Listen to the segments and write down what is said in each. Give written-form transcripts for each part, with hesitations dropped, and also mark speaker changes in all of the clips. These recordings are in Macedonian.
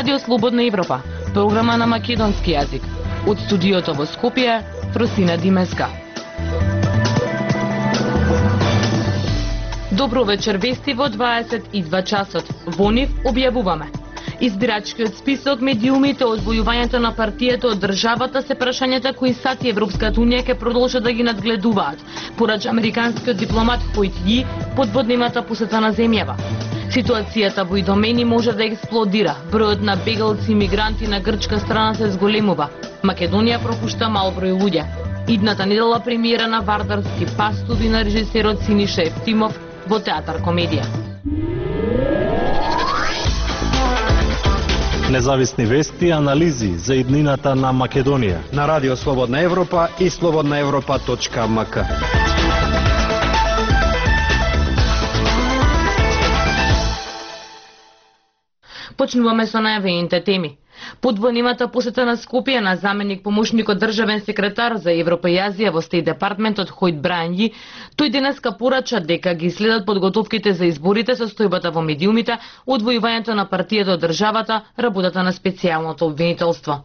Speaker 1: Радио Слободна Европа, програма на македонски јазик. Од студиото во Скопје, Просина Димеска. Добро вечер, вести во 22 часот. Во нив објавуваме. Избирачкиот список, медиумите, одвојувањето на партијата од државата се прашањата кои САД и Европската унија ќе продолжат да ги надгледуваат, порача американскиот дипломат Хојт Ји подводнимата посета на земјава. Ситуацијата во Идомени може да експлодира. Бројот на бегалци и мигранти на грчка страна се зголемува. Македонија пропушта мал број луѓе. Идната недела премиера на Вардарски пастови на режисерот Синиша Ефтимов во театар комедија.
Speaker 2: Независни вести и анализи за иднината на Македонија
Speaker 3: на Радио Слободна Европа и slobodnaevropa.mk.
Speaker 1: Почнуваме со најавените теми. Подвојнимата посета на Скопје на заменик помошникот државен секретар за Европа и Азија во Стејт департментот Хојт Ји, тој денеска порача дека ги следат подготовките за изборите, состојбата во медиумите, одвојувањето на партијата од државата, работата на специјалното обвинителство.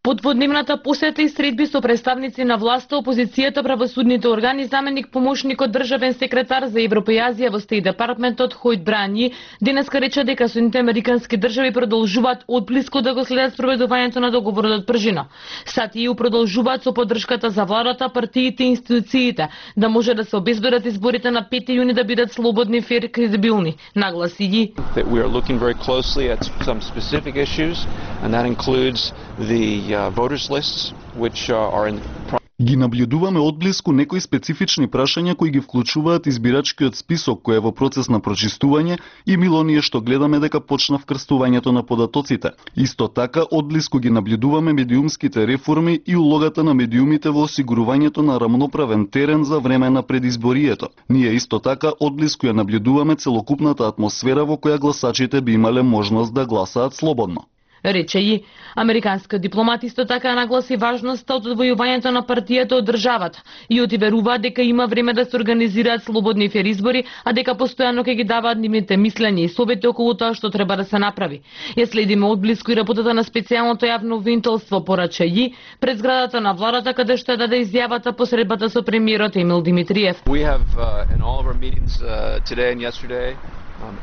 Speaker 1: Подводневната посета и средби со представници на власта, опозицијата, правосудните органи, заменик помошникот државен секретар за Европа и Азија во Стејт департментот Хојт Ји денеска рече дека Соединетите американски држави продолжуваат одблиску да го следат спроведувањето на договорот од Пржина. САД и ЕУ продолжуваат со поддршката за владата, партиите и институциите да може да се обезбедат изборите на 5 јуни да бидат слободни, фер и кредибилни, нагласи ги.
Speaker 4: We are looking very closely at some specific issues, and that includes the voters lists, which are in
Speaker 5: Ги наблюдуваме одблиску некои специфични прашања кои ги вклучуваат избирачкиот список кој е во процес на прочистување и мило ние што гледаме дека почна вкрстувањето на податоците. Исто така одблиску ги наблюдуваме медиумските реформи и улогата на медиумите во осигурувањето на рамноправен терен за време на предизборието. Ние исто така одблиску ја наблюдуваме целокупната атмосфера во која гласачите би имале можност да гласаат слободно.
Speaker 1: Рече и американскиот дипломат исто така нагласи важноста од одвојувањето на партијата од државата и отверува дека има време да се организираат слободни фер избори, а дека постојано ќе ги даваат нивните мислења и совети околу тоа што треба да се направи. Ја следиме одблиску и работата на специјалното јавно обвинителство, порача и пред зградата на владата каде што ја даде изјавата по средбата со премиерот Емил Димитриев.
Speaker 4: We have in all of our meetings today and yesterday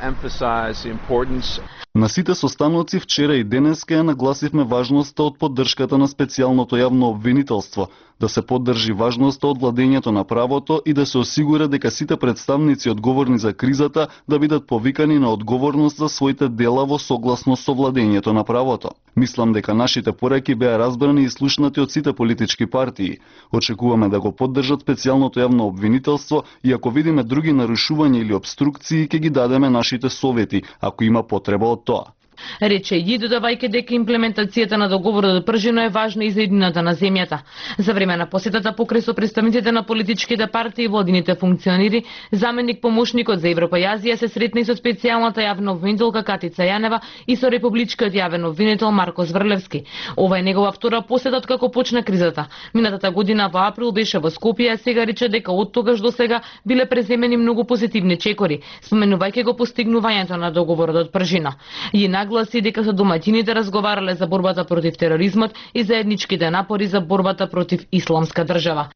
Speaker 4: emphasize the importance.
Speaker 5: На сите состаноци вчера и денеска ја нагласивме важноста од поддршката на специјалното јавно обвинителство, да се поддржи важноста од владењето на правото и да се осигура дека сите представници одговорни за кризата да бидат повикани на одговорност за своите дела во согласност со владењето на правото. Мислам дека нашите пораки беа разбрани и слушнати од сите политички партии. Очекуваме да го поддржат специјалното јавно обвинителство и ако видиме други нарушувања или обструкции, ќе ги дадеме нашите совети, ако има потреба од тоа.
Speaker 1: Рече и додавајќи дека имплементацијата на договорот од Пржина е важна и за иднината на земјата. За време на посетата покрај со представниците на политичките партии и владините функционери, заменик помошникот за Европа и Азија се сретна и со специјалната јавна обвинителка Катица Јанева и со републичкиот јавен обвинител Марко Зврлевски. Ова е негова втора посета од како почна кризата. Минатата година во април беше во Скопје, а сега рече дека од тогаш до сега биле преземени многу позитивни чекори, споменувајќи го постигнувањето на договорот од Пржина. И нагласи дека со домаќините разговарале за борбата против тероризмот и заедничките напори за борбата против исламска држава.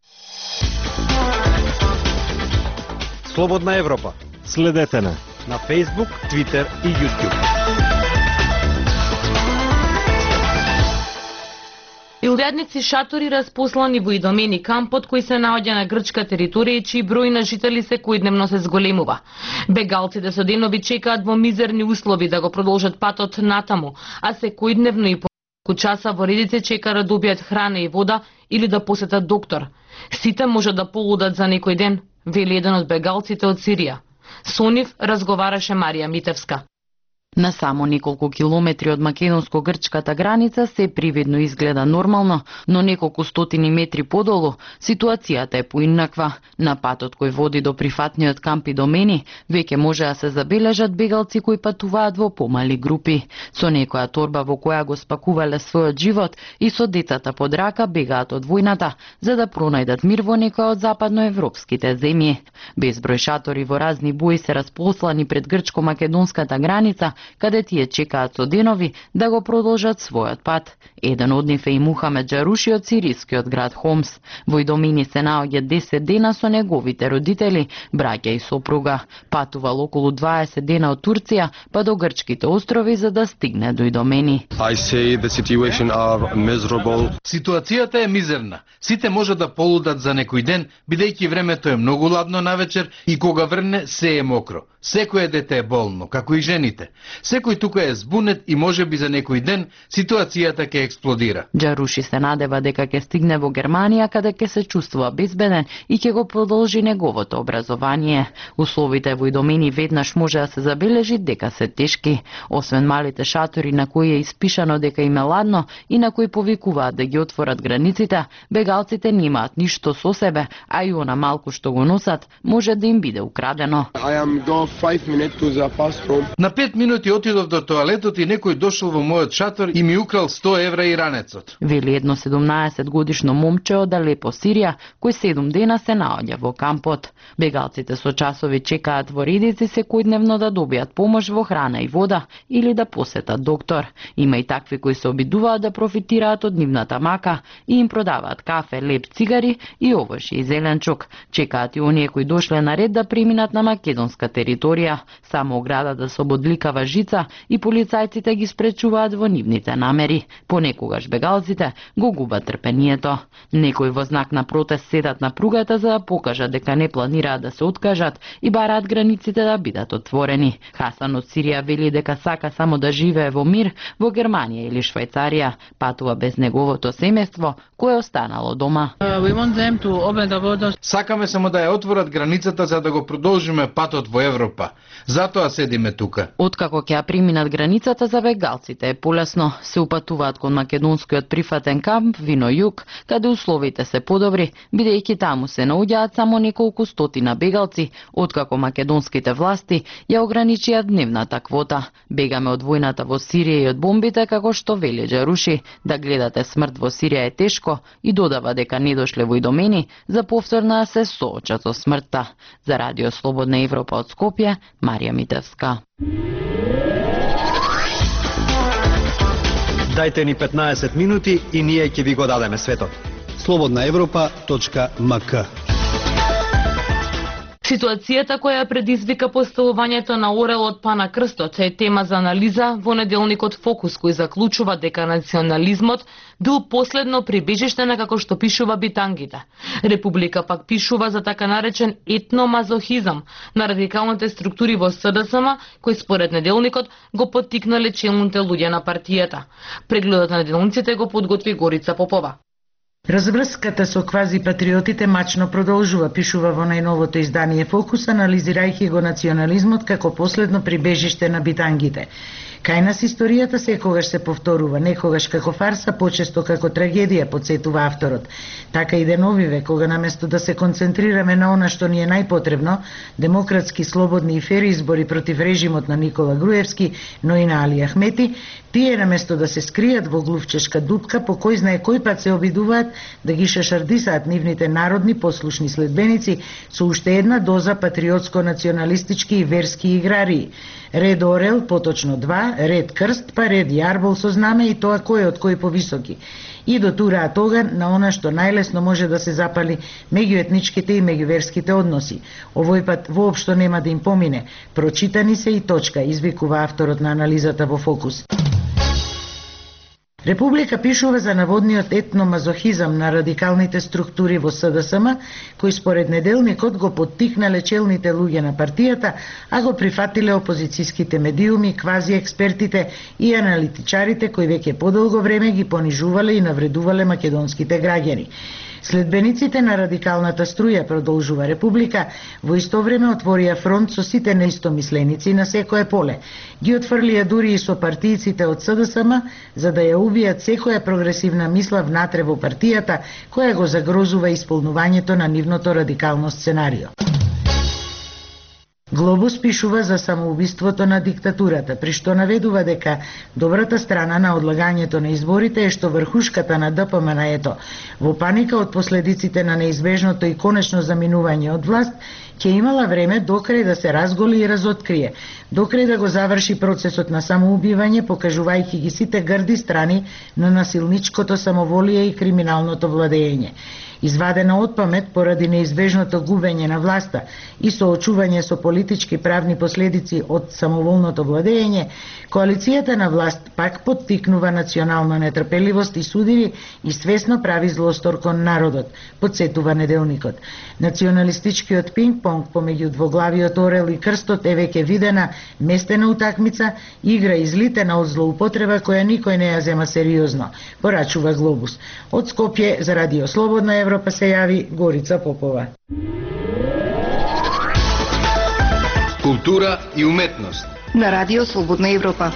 Speaker 3: Слободна Европа.
Speaker 2: Следете на
Speaker 3: Facebook, Twitter и YouTube.
Speaker 1: Илјадници шатори распослани во Идомени, кампот кој се наоѓа на грчка територија и чиј број на жители секојдневно се зголемува. Бегалците со денови чекаат во мизерни услови да го продолжат патот натаму, а секојдневно и по неколку часа во редици чека да добијат храна и вода или да посетат доктор. Сите може да полудат за некој ден, вели еден од бегалците од Сирија. Со нив разговараше Марија Митевска.
Speaker 6: На само неколку километри од македонско-грчката граница се привидно изгледа нормално, но неколку стотини метри подолу ситуацијата е поинаква. На патот кој води до прифатниот камп Идомени веќе може да се забележат бегалци кои патуваат во помали групи. Со некоја торба во која го спакувале својот живот и со децата под рака бегаат од војната за да пронајдат мир во некоја од западноевропските земји. Безброј шатори во разни бои се располслани пред грчко-македонската граница каде тие чекаат со денови да го продолжат својот пат. Еден од нив е и Мухамед Џаруши од сирискиот град Хомс. Во Идомени се наоѓа 10 дена со неговите родители, браќа и сопруга. Патувал околу 20 дена од Турција па до грчките острови за да стигне до Идомени.
Speaker 7: Ситуацијата е мизерна. Сите може да полудат за некој ден, бидејќи времето е многу ладно навечер и кога врне се е мокро. Секој дете е болно, како и жените. Секој тука е збунет и можеби за некој ден ситуацијата ќе експлодира.
Speaker 6: Џаруши се надева дека ќе стигне во Германија, каде ќе се чувствува безбеден и ќе го продолжи неговото образование. Условите во Идомени веднаш може да се забележи дека се тешки. Освен малите шатори на кои е испишано дека им е ладно и на кои повикуваат да ги отворат границите, бегалците немаат ништо со себе, а и она малку што го носат може да им биде украдено.
Speaker 7: На 5 минути отидов до тоалетот и некој дошол во мојот шатор и ми украл 100 евра и ранецот.
Speaker 6: Вели едно 17-годишно момче од Алепо, Сирија, кој 7 дена се наоѓа во кампот. Бегалците со часови чекаат во редици секојдневно да добијат помош во храна и вода или да посетат доктор. Има и такви кои се обидуваат да профитираат од нивната мака и им продаваат кафе, леп, цигари и овошје и зеленчук. Чекаат и оние кои дошле на ред да преминат на македонска територија. Само оградата со бодликава жица и полицајците ги спречуваат во нивните намери. Понекогаш бегалците го губат трпението. Некои во знак на протест седат на пругата за да покажат дека не планираат да се откажат и бараат границите да бидат отворени. Хасан од Сирија вели дека сака само да живее во мир во Германија или Швајцарија. Патува без неговото семејство кое останало дома.
Speaker 7: Сакаме само да ја отворат границата за да го продолжиме патот во Европа. Затоа седиме тука.
Speaker 6: Откако ќе ја преминат границата за бегалците е полесно. Се упатуваат кон македонскиот прифатен камп Вино Југ, каде условите се подобри, бидејќи таму се наоѓаат само неколку стотина бегалци, откако македонските власти ја ограничија дневната квота. Бегаме од војната во Сирија и од бомбите, како што вели Џаруши. Да гледате смрт во Сирија е тешко и додава дека не дошле во Идомени за повторно да се соочат со смртта. За Радио Слободна Европа од Скопје, Марија Митевска.
Speaker 3: Дајте ни 15 минути и ние ќе ви го дадеме светот. slobodnaevropa.mk.
Speaker 1: Ситуацијата која предизвика поставувањето на орелот Пана Крстот е тема за анализа во неделникот Фокус, кој заклучува дека национализмот бил последно прибежиште на, како што пишува, битангите. Република пак пишува за така наречен етномазохизам на радикалните структури во СДСМ, кој според неделникот го поттикнале челните луѓе на партијата. Прегледот на неделниците го подготви Горица Попова.
Speaker 8: Разврската со квази-патриотите мачно продолжува, пишува во најновото издание Фокус, анализирајќи го национализмот како последно прибежиште на битангите. Кај нас историјата секогаш се повторува, некогаш како фарса, почесто како трагедија, подсетува авторот. Така и деновиве, кога наместо да се концентрираме на она што ни е најпотребно, демократски, слободни и фер избори против режимот на Никола Груевски, но и на Али Ахмети, тие наместо да се скријат во глувчешка дупка, по кој знае кој пат се обидуваат да ги шашардисаат нивните народни послушни следбеници со уште една доза патриотско-националистички и верски играрии. Ред орел, поточно 2, ред крст, па ред јарбол со знаме и тоа кој од кој повисоки. И дотураат оган на она што најлесно може да се запали меѓу етничките и меѓуверските односи. Овој пат воопшто нема да им помине. Прочитани се и точка, извикува авторот на анализата во Фокус. Република пишува за наводниот етномазохизам на радикалните структури во СДСМ, кои според неделникот го поттикнале челните луѓе на партијата, а го прифатиле опозицијските медиуми, квази експертите и аналитичарите кои веќе подолго време ги понижувале и навредувале македонските граѓани. Следбениците на радикалната струја, продолжува Република, во исто време отворија фронт со сите неистомисленици на секое поле. Ги отфрлија дури и со партијците од СДСМ, за да ја убијат секоја прогресивна мисла внатре во партијата, која го загрозува исполнувањето на нивното радикално сценарио. Глобус пишува за самоубиството на диктатурата, при што наведува дека добрата страна на одлагањето на изборите е што врхушката на ДПМН-ето во паника од последиците на неизбежното и конечно заминување од власт ќе имала време докрај да се разголи и разоткрие, докрај да го заврши процесот на самоубивање, покажувајќи ги сите грди страни на насилничкото самоволие и криминалното владење. Извадена од памет поради неизбежното губење на власта и соочување со политички и правни последици од самоволното владење, коалицијата на власт пак поттикнува национална нетрпеливост и судири и свесно прави злостор кон народот, подсетува неделникот. Националистичкиот пинг-понг помеѓу двоглавиот орел и крстот е веќе видена местена утакмица, игра излитена од злоупотреба која никој не ја зема сериозно, порачува Глобус. Од Скопје за Радио Слободна Европа се јави Горица Попова.
Speaker 7: Култура и уметност
Speaker 9: на Радио Слободна Европа.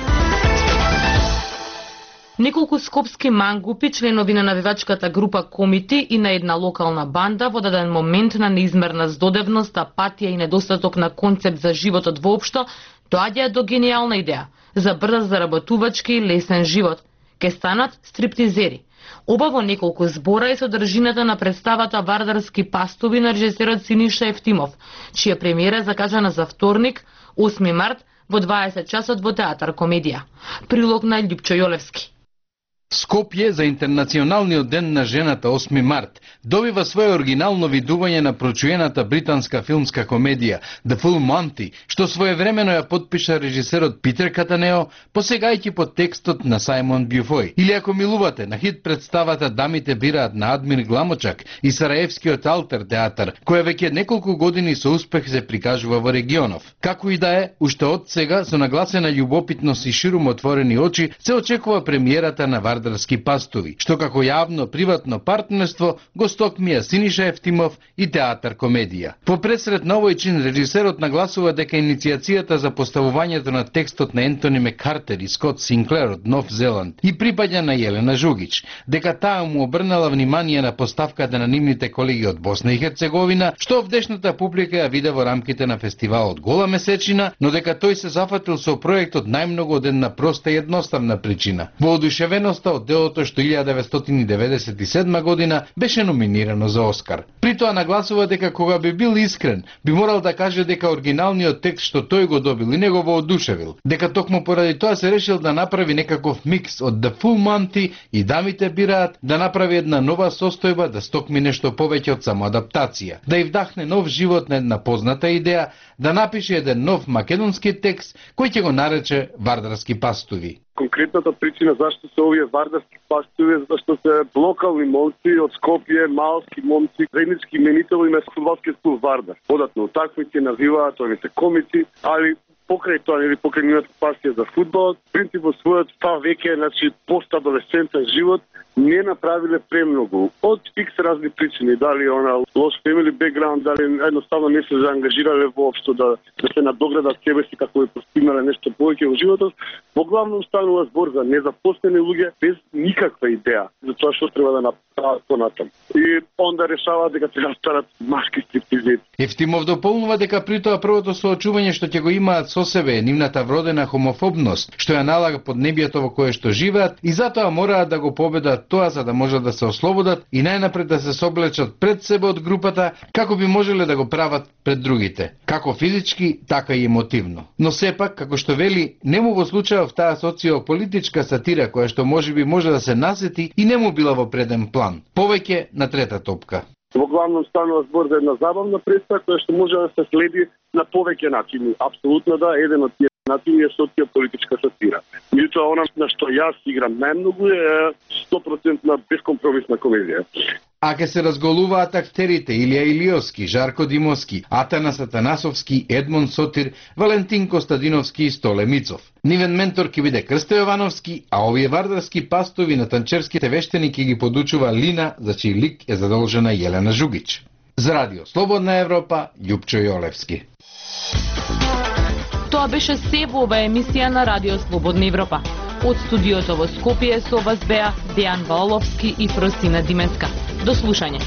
Speaker 1: Неколку скопски мангупи, членови на навивачката група Комити и на една локална банда во даден момент на неизмерна здодевност, апатија и недостаток на концепт за животот воопшто, доаѓаат до гениална идеја за брз заработувачки и лесен живот. Ке станат стриптизери. Оба во неколку збора е содржината на представата Вардарски пастови на режисерот Синиша Ефтимов, чија премиера е закажана за вторник, 8 март, во 20 часот во Театар Комедија. Прилог на Љупчо Јолевски.
Speaker 7: Скопје за Интернационалниот ден на жената 8 март добива свое оригинално видување на прочуената британска филмска комедија The Full Monty, што своевремено ја подпиша режисерот Питер Катанео, посегајќи под текстот на Сајмон Бјуфој. Или ако милувате на хит представата Дамите бираат на Адмир Гламочак и Сараевскиот Алтер театар, која веќе неколку години со успех се прикажува во регионов. Како и да е, уште од сега со нагласена љубопитност и ширум отворени очи се очекува премиерата на Вардарски пастови, што како јавно-приватно партнерство го стокмија Синиша Ефтимов и Театар Комедија. По пресред на овој чин режисерот нагласува дека иницијацијата за поставувањето на текстот на Ентони Мекартер и Скот Синклер од Нов Зеланд и припаѓа на Јелена Жугич, дека таа му обрнала внимание на поставката на нивните колеги од Босна и Херцеговина, што овдешната публика ја виде во рамките на фестивалот Гола месечина, но дека тој се зафатил со проектот најмногу од една проста и едноставна причина. Воодушевеноста од делото што 1997 година беше номинирано за Оскар. При тоа нагласува дека кога би бил искрен, би морал да каже дека оригиналниот текст што тој го добил и не го воодушевил, дека токму поради тоа се решил да направи некаков микс од The Full Monty и Дамите бираат, да направи една нова состојба, да стокми нешто повеќе од само адаптација, да и вдахне нов живот на една позната идеја, да напише еден нов македонски текст кој ќе го нарече Вардарски пастови.
Speaker 10: Конкретната причина зашто се овие Вардарски пастови, зашто се локални момци од Скопје, малски момци, заеднички именител им е фудбалскиот клуб Вардар. Податно утакмици, навиваат, они се комици, али покрај тоа или покрај нивната пасија за фудбал, принципот својот став веќе, значи постадолесцентен живот, не направиле премногу. Од фикс разни причини, дали она лош фемили бекграунд, дали едноставно не се заангажирале воопшто да се надоградат себе си како би постигнале нешто повеќе во животот. Во главном станува збор за незапослени луѓе без никаква идеја за тоа што треба да направат понатам. И онда решаваат дека треба да станат машки стриптизери.
Speaker 7: Ефтимов дополнува дека при тоа првото соочување што ќе го имаат со себе е нивната вродена хомофобност, што ја налага поднебието во кое што живеат и затоа мораат да го победат тоа за да можат да се ослободат и најнапред да се соблечат пред себе од групата, како би можеле да го прават пред другите, како физички, така и емотивно. Но сепак, како што вели, нему во случајов таа социополитичка сатира која што можеби може да се насети и нему била во преден план. Повеќе на трета топка.
Speaker 10: Во главном станува збор за една забавна представа која што може да се следи на повеќе начини. Апсолутно да, еден од тие начини е социополитичка сатира. Меѓутоа, она на што јас играм најмногу е 100% бескомпромисна комедија.
Speaker 7: А ке се разголуваат актерите Илија Илиовски, Жарко Димовски, Атанас Атанасовски, Едмон Сотир, Валентин Костадиновски и Столе Мицов. Нивен ментор ке биде Крсто Јовановски, а овие вардарски пастови на танчерските вештени ке ги подучува Лина, за чиј лик е задолжена Јелена Жугич. За Радио Слободна Европа, Љупчо Јолевски.
Speaker 1: Тоа беше се во ова емисија на Радио Слободна Европа. Од студиото во Скопје со вас беа Дејан Валовски и Фросина Дименска. До слушање.